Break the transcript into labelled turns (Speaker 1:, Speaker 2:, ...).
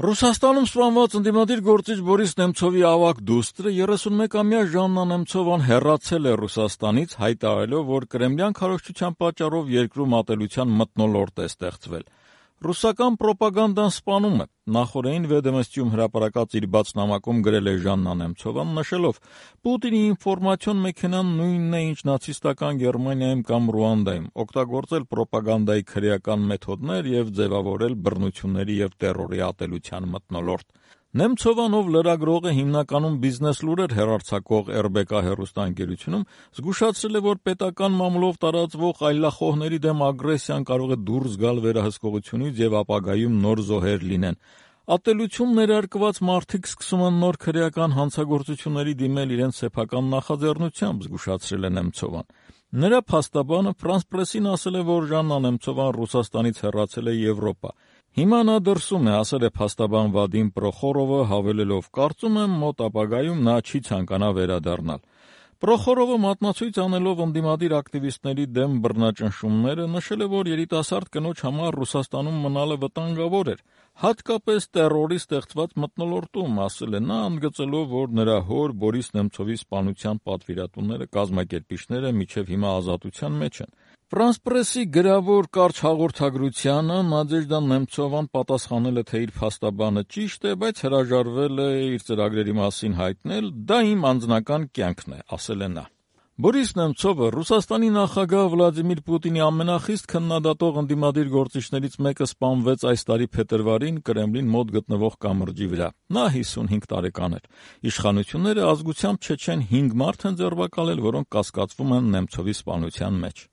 Speaker 1: Ռուսաստանում սպանված ընդդիմադիր գործիչ Բորիս Նեմցովի ավագ դուստրը 31-ամյա Ժաննա Նեմցովան հեռացել է Ռուսաստանից, հայտարարելով, որ կրեմլյան քարոզչության պատճառով երկրում ատելության մթնոլորտ է ստեղծվել։ Ռուսական պրոպագանդան սպանում է։ Նախորդին «Վեդոմստիում» հրապարակած իր բաց նամակում գրել է Ժաննա Նեմցովան, նշելով. «Պուտինի ինֆորմացիոն մեքենան նույնն է, ինչ նացիստական Գերմանիայում կամ Ռուանդայում, օգտագործել պրոպագանդայի քրեական մեթոդներ և ձևավորել բռնությունների և տերորի ատելության մթնոլորտ»։ Նեմցովան, ով լրագրող է, հիմնականում բիզնես լուրեր հեռարձակող RBK հեռուստաընկերությունում, զգուշացրել է, որ պետական մամուլով տարածվող այլախոհների դեմ ագրեսիան կարող է դուրս գալ վերահսկողությունից և ապագայում նոր զոհեր լինեն։ Ատելություն ներարկված մարդիկ սկսում են նոր քրեական հանցագործությունների դիմել իրենց սեփական նախաձեռնությամբ, զգուշացրել է Նեմցովան։ Նրա փաստաբանը France Press-ին ասել է, որ Ժաննա Նեմցովան Ռուսաստանից հեռացել է Եվրոպա։ Հիմա նա դրսում է, ասել է փաստաբան Վադիմ Պրոխորովը, հավելելով. «Կարծում եմ, մոտ ապագայում նա չի ցանկանա վերադառնալ»։ Պրոխորովը մատնացույց անելով ընդդիմադիր ակտիվիստների դեմ բռնաճնշումները, նշել է, որ երիտասարդ կնոջ համար Ռուսաստանում մնալը վտանգավոր էր, հատկապես տերորի ստեղծված մթնոլորտում, ասել է նա, ընդգծելով, որ նրա հոր Բորիս Նեմցովի սպանության պատվիրատուները, կազմակերպիչները մինչև հիմա ազատության մեջ են։ France Press-ի գրավոր կարճ հաղորդագրությանը Նադեժդա Նեմցովան պատասխանել է, թե իր փաստաբանը ճիշտ է, բայց հրաժարվել է իր ծրագրերի մասին հայտնել. «Դա իմ անձնական կյանքն է», ասել է նա։ Բորիս Նեմցովը Ռուսաստանի նախագահ Վլադիմիր Պուտինի ամենախիստ քննադատող ընդդիմադիր գործիչներից մեկը սպանվեց այս տարի փետրվարին Կրեմլին մոտ գտնվող կամրջի վրա։ Նա 55 տարեկան էր։ Իշխանությունները ազգությամբ չեչեն 5 մարդ են ձերբակալել, որոնք կասկածվում են Նեմցովի սպանության մեջ։